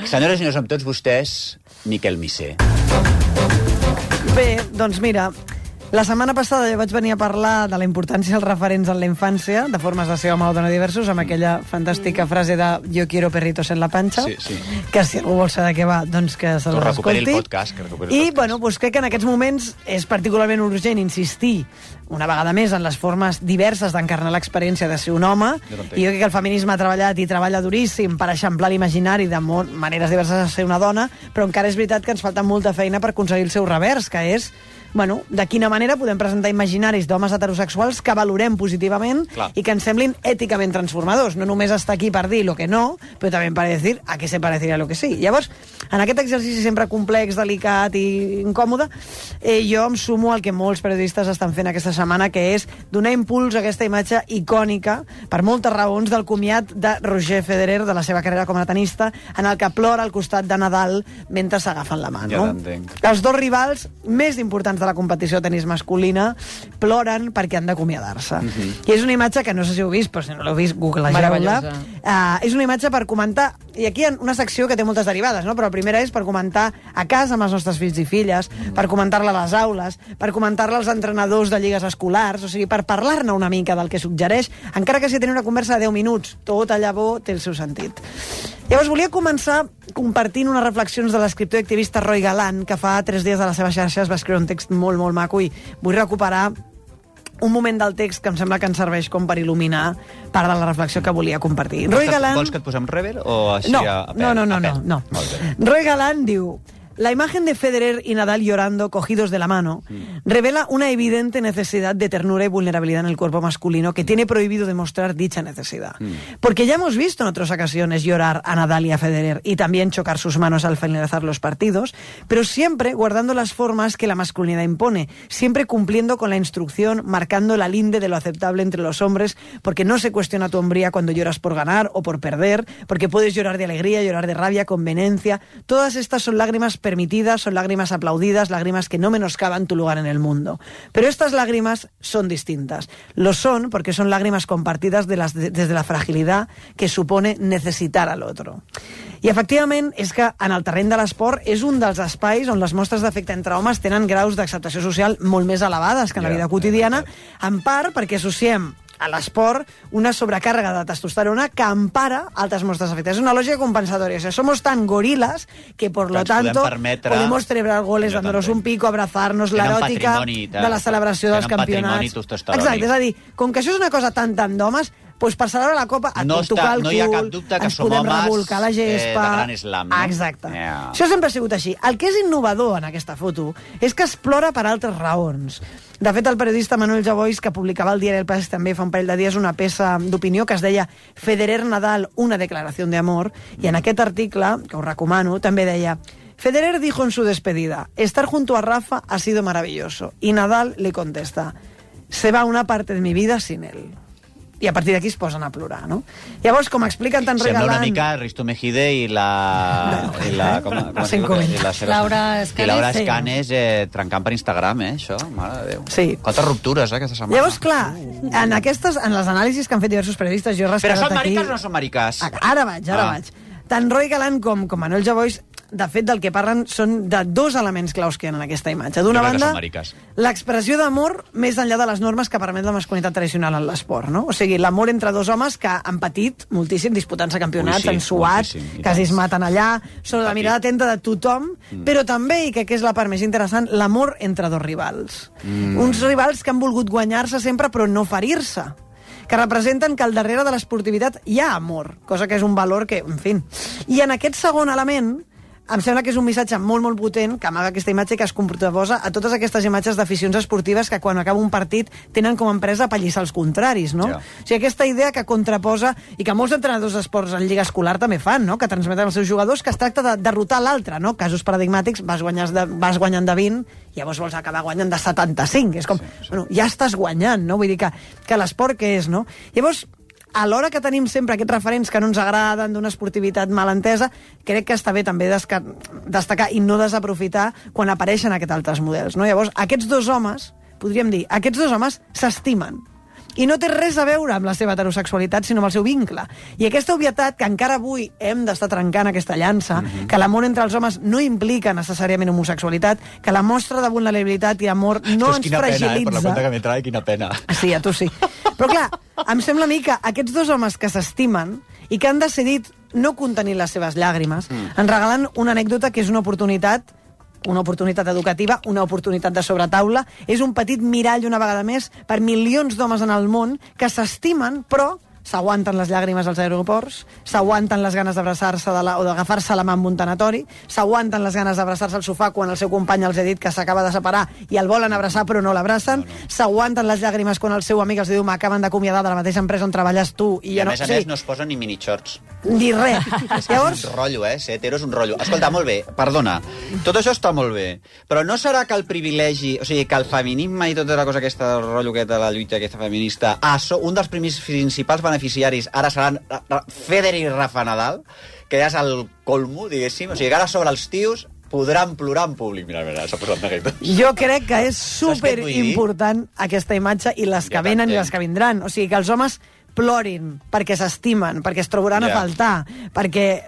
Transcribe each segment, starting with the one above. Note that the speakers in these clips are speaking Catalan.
Senyores i senyors, amb tots vostès, Miquel Missé. Bé, doncs mira, la setmana passada jo vaig venir a parlar de la importància dels referents en la infància, de formes de ser home o dona diversos, amb aquella fantàstica frase de yo quiero perritos en la panxa, que si algú vol saber de què va, doncs que se l'escolti. Recuperi el podcast. I, bueno, doncs crec que en aquests moments és particularment urgent insistir una vegada més en les formes diverses d'encarnar l'experiència de ser un home. I jo crec que el feminisme ha treballat i treballa duríssim per eixamplar l'imaginari de maneres diverses de ser una dona, però encara és veritat que ens falta molta feina per aconseguir el seu revers, que és de quina manera podem presentar imaginaris d'homes heterosexuals que valorem positivament i que ens semblin èticament transformadors. No només està aquí per dir lo que no, però també per dir a què se pareceria lo que sí. Llavors, en aquest exercici sempre complex, delicat i incòmode, jo em sumo al que molts periodistes estan fent aquesta setmana, que és donar impuls a aquesta imatge icònica, per moltes raons, del comiat de Roger Federer, de la seva carrera com a tenista, en el que plora al costat de Nadal mentre s'agafen la mà. Ja t'entenc. Els dos rivals més importants de la competició de tenis masculina ploren perquè han d'acomiadar-se. I és una imatge que no sé si heu vist, però si no l'heu vist, googlejeu-la. És una imatge per comentar, i aquí hi ha una secció que té moltes derivades, no? Però la primera és per comentar a casa amb els nostres fills i filles, per comentar-la a les aules, per comentar-la als entrenadors de lligues escolars, o sigui, per parlar-ne una mica del que suggereix, encara que sigui tenir una conversa de 10 minuts. Tot allà bo té el seu sentit. Llavors, volia començar compartint unes reflexions de l'escriptor i activista Roy Gallant, que fa 3 dies de les seves xarxes va escriure un text molt, molt maco, i vull recuperar un moment del text que em sembla que ens serveix com per il·luminar part de la reflexió que volia compartir. Roy Gallant... Vols que et posem rever o així no, a pèl? No. Roy Gallant diu: la imagen de Federer y Nadal llorando, cogidos de la mano, revela una evidente necesidad de ternura y vulnerabilidad en el cuerpo masculino que tiene prohibido demostrar dicha necesidad. Porque ya hemos visto en otras ocasiones llorar a Nadal y a Federer y también chocar sus manos al finalizar los partidos, pero siempre guardando las formas que la masculinidad impone, siempre cumpliendo con la instrucción, marcando la linde de lo aceptable entre los hombres, porque no se cuestiona tu hombría cuando lloras por ganar o por perder, porque puedes llorar de alegría, llorar de rabia, con vehemencia. Todas estas son lágrimas permitidas, son lágrimas aplaudidas, lágrimas que no menoscaban tu lugar en el mundo. Pero estas lágrimas son distintas. Lo son porque son lágrimas compartidas desde la fragilidad que supone necessitar a l'altre. I, efectivament, és que en el terreny de l'esport és un dels espais on les mostres d'afecte entre homes tenen graus d'acceptació social molt més elevades que en la vida quotidiana, en part perquè associem a l'esport una sobrecàrrega de testosterona que empara altres mostres d'afecte. És una lògica compensatoria. O sea, somos tan gorilas que, por lo tanto, podemos celebrar goles dándonos un pico, abrazarnos, l'eròtica de la celebració dels campionats. Exacte, és a dir, com que això és una cosa tan d'homes, doncs per celebrar la Copa et pot tocar el cul, hi ha cap dubte que ens podem revolcar la gespa. De gran slam, no? Exacte. Això sempre ha sigut així. El que és innovador en aquesta foto és que es plora per altres raons. De fet, el periodista Manuel Javois, que publicava al diari El País també fa un parell de dies una peça d'opinió que es deia Federer-Nadal, una declaració d'amor, i en aquest article, que us recomano, també deia: Federer dijo en su despedida, estar junto a Rafa ha sido maravilloso. Y Nadal le contesta, se va una parte de mi vida sin él. I a partir d'aquí es posen a plorar, no? Llavors, com expliquen tan regalant... Sembla una mica Risto Mejide i la Laura Escanes trencant per Instagram, això, mare de Déu. Sí. Quantes ruptures, aquesta setmana. Llavors, clar, en les anàlisis que han fet diversos periodistes, jo he rescatat aquí... Però són mariques o no són mariques? Ara vaig. Tant Roy Gallant com Manuel Javois, de fet, del que parlen són de dos elements claus que hi ha en aquesta imatge. D'una banda, l'expressió d'amor més enllà de les normes que permet la masculinitat tradicional en l'esport, no? O sigui, l'amor entre dos homes que han patit moltíssim disputant-se campionats, han suat, quasi es maten allà, sobre la mirada atenta de tothom, però també, i que és la part més interessant, l'amor entre dos rivals. Uns rivals que han volgut guanyar-se sempre però no ferir-se, que representen que al darrere de l'esportivitat hi ha amor, cosa que és un valor que, en fi... I en aquest segon element, em sembla que és un missatge molt, molt potent que amaga aquesta imatge que es contraposa a totes aquestes imatges d'aficions esportives que quan acaba un partit tenen com a empresa apallissar els contraris, no? O sigui, aquesta idea que contraposa i que molts entrenadors d'esports en lliga escolar també fan, no? Que transmeten als seus jugadors que es tracta de derrotar l'altre, no? Casos paradigmàtics, vas guanyant de 20, llavors vols acabar guanyant de 75. És com, bueno, ja estàs guanyant, no? Vull dir que l'esport què és, no? Llavors, alhora que tenim sempre aquests referents que no ens agraden d'una esportivitat mal entesa, crec que està bé també destacar i no desaprofitar quan apareixen aquests altres models, no? Llavors, aquests dos homes, podríem dir, aquests dos homes s'estimen. i no té res a veure amb la seva heterosexualitat, sinó amb el seu vincle. I aquesta obvietat, que encara avui hem d'estar trencant aquesta llança, que l'amor entre els homes no implica necessàriament homosexualitat, que la mostra de vulnerabilitat i amor no ens fragilitza. Per la cuenta que me trae, quina pena. Sí, a tu sí. Però clar, em sembla a mi que aquests dos homes que s'estimen i que han decidit no contenir les seves llàgrimes, ens regalen una anècdota que és una oportunitat educativa, una oportunitat de sobretaula, és un petit mirall una vegada més per milions d'homes en el món que s'estimen, però s'aguanten les llàgrimes als aeroports, s'aguanten les ganes d'abraçar-se o d'agafar-se la mà en un tanatori, s'aguanten les ganes d'abraçar-se al sofà quan el seu company els ha dit que s'acaba de separar i el volen abraçar però no l'abracen, s'aguanten les llàgrimes quan el seu amic els diu m'acaben d'acomiadar de la mateixa empresa on treballes tu. I a més a més no es posen ni minichorts. Ni res. Llavors... Un rotllo, ser hetero és un rotllo. Escolta, molt bé, perdona, tot això està molt bé, però no serà que el privilegi, o sigui, que el feminisme i tota la cosa aquesta, el rotllo aquest de la lluita aquesta feminista, un dels principals beneficiaris ara seran Federer i Rafa Nadal, que ja és el colmo, diguéssim. O sigui, que ara sobre els tios podran plorar en públic. Mira, s'ha posat neguetes. Jo crec que és superimportant aquesta imatge i les que venen i les que vindran. O sigui, que els homes plorin perquè s'estimen, perquè es trobaran a faltar, perquè,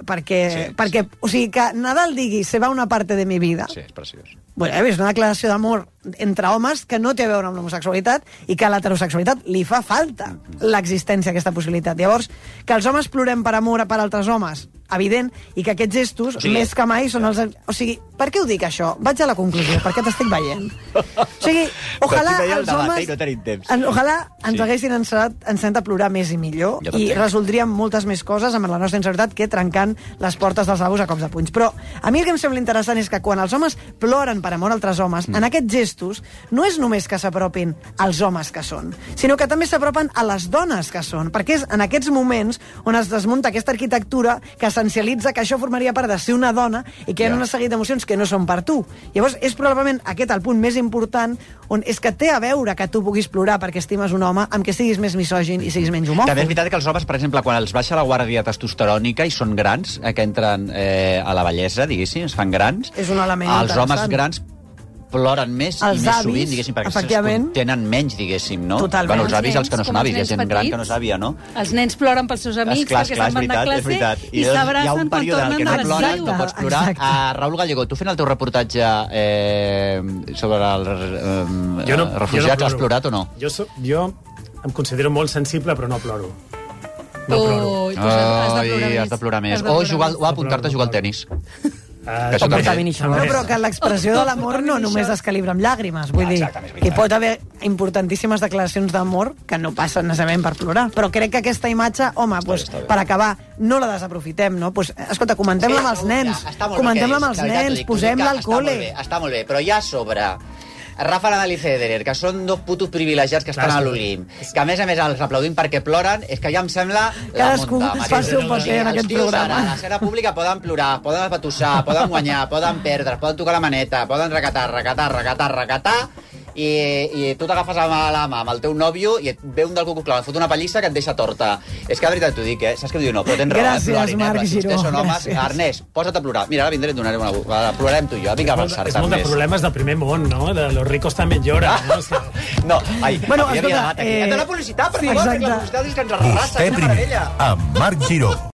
o sigui, que Nadal digui se va una parte de mi vida. Sí, és preciós. Bueno, és una declaració d'amor entre homes que no té a veure amb l'homosexualitat i que a l'heterosexualitat li fa falta l'existència d'aquesta possibilitat. Llavors, que els homes plorem per amor per altres homes, evident, i que aquests gestos, més que mai, són els... O sigui, per què ho dic, això? Vaig a la conclusió, perquè t'estic veient. O sigui, ojalà els homes... Ojalà ens haguessin ensenyat a plorar més i millor i resoldríem moltes més coses amb la nostra inseguretat que trencant les portes dels lavabos a cops de punys. Però a mi el que em sembla interessant és que quan els homes ploren per amor a altres homes, en aquests gestos no és només que s'apropin als homes que són, sinó que també s'apropen a les dones que són, perquè és en aquests moments on es desmunta aquesta arquitectura que essencialitza que això formaria part de ser una dona i que hi ha una seguit d'emocions que no són per tu. Llavors, és probablement aquest el punt més important on és que té a veure que tu puguis plorar perquè estimes un home amb que siguis més misògin i siguis menys homòfob. També és veritat que els homes, per exemple, quan els baixa la guàrdia testosterònica i són grans, que entren a la vellesa, diguéssim, es fan grans, és un element els homes grans ploren més i més sovint, diguéssim, perquè tenen menys, diguéssim, no? Totalment. Bueno, els avis, els que no són avis, hi ha gent gran que no és àvia, no? Els nens ploren pels seus amics perquè se'n van de classe i s'abracen quan tornen de l'estiu. No pots plorar. Raül Gallego, tu fent el teu reportatge sobre els refugiats, has plorat o no? Jo em considero molt sensible, però no ploro. No ploro. Has de plorar més. O apuntar-te a jugar al tenis. Però que l'expressió de l'amor no només es calibra amb llàgrimes, vull dir que hi pot haver importantíssimes declaracions d'amor que no passen necessàriament per plorar, però crec que aquesta imatge, home, per acabar, no la desaprofitem, no? Escolta, comentem-la amb els nens, posem-la al col·le. Està molt bé, però ja a sobre Rafa Nadal i Federer, que són dos putos privilegiats que estan a l'Olimp, que a més els aplaudim perquè ploren, és que ja em sembla la monta. Cadascú fa el seu paper en aquest programa. A l'escena pública poden plorar, poden apatussar, poden guanyar, poden perdre, poden tocar la maneta, poden recatar, i tu t'agafes la mà amb el teu nòvio i et ve un del cucu clar, et fot una pallissa que et deixa torta. És que de veritat t'ho dic, saps què em diu? No, però tens raó, gràcies, Marc Giró. Vostès són homes. Ernest, posa't a plorar. Mira, ara vindré i et donaré una... Plorarem tu i jo, vinc a avançar-te. És molt de problemes del primer món, no? De los ricos també lloren. No, bueno, escolta... Hem de la publicitat, per favor, perquè la publicitat és que ens arrasa, és una meravella. Amb Marc Giró.